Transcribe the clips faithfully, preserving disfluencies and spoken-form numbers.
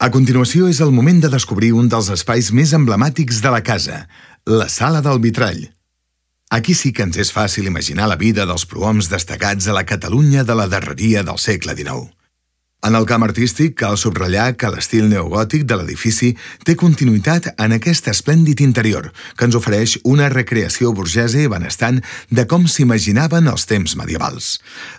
A continuació és el moment de descobrir un dels espais més emblemàtics de la casa, la sala del vitrall. Aquí sí que ens és fàcil imaginar la vida dels prohoms destacats a la Catalunya de la darreria del segle dinou. En el camp artístic cal subratllar que l'estil neogòtic de l'edifici té continuïtat en aquest esplèndid interior, que ens ofereix una recreació burgesa i benestant de com s'imaginaven els temps medievals.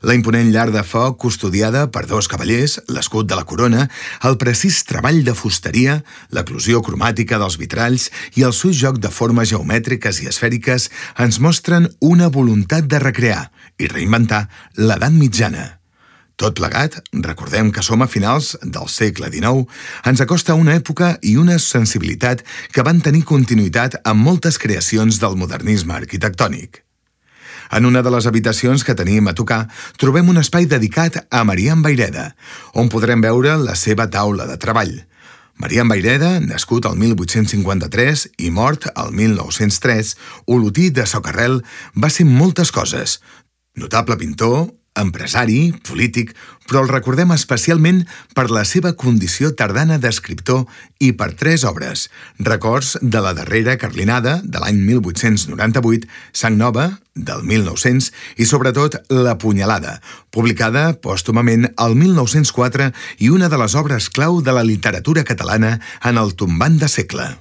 La imponent llar de foc custodiada per dos cavallers, l'escut de la corona, el precís treball de fusteria, l'eclusió cromàtica dels vitralls i el seu joc de formes geomètriques i esfèriques ens mostren una voluntat de recrear i reinventar l'edat mitjana. Tot plegat, recordem que som a finals del segle dinou, ens acosta a una època i una sensibilitat que van tenir continuïtat amb moltes creacions del modernisme arquitectònic. En una de les habitacions que tenim a tocar, trobem un espai dedicat a Marian Vayreda, on podrem veure la seva taula de treball. Marian Vayreda, nascut el mil vuit-cents cinquanta-tres i mort el mil nou-cents tres, olotí de Socarrel, va ser moltes coses. Notable pintor, empresari, polític, però el recordem especialment per la seva condició tardana d'escriptor i per tres obres: Records de la darrera carlinada, de l'any mil vuit-cents noranta-vuit, Sang Nova, del mil nou-cents, i sobretot La punyalada, publicada pòstumament el mil nou-cents quatre i una de les obres clau de la literatura catalana en el tombant de segle.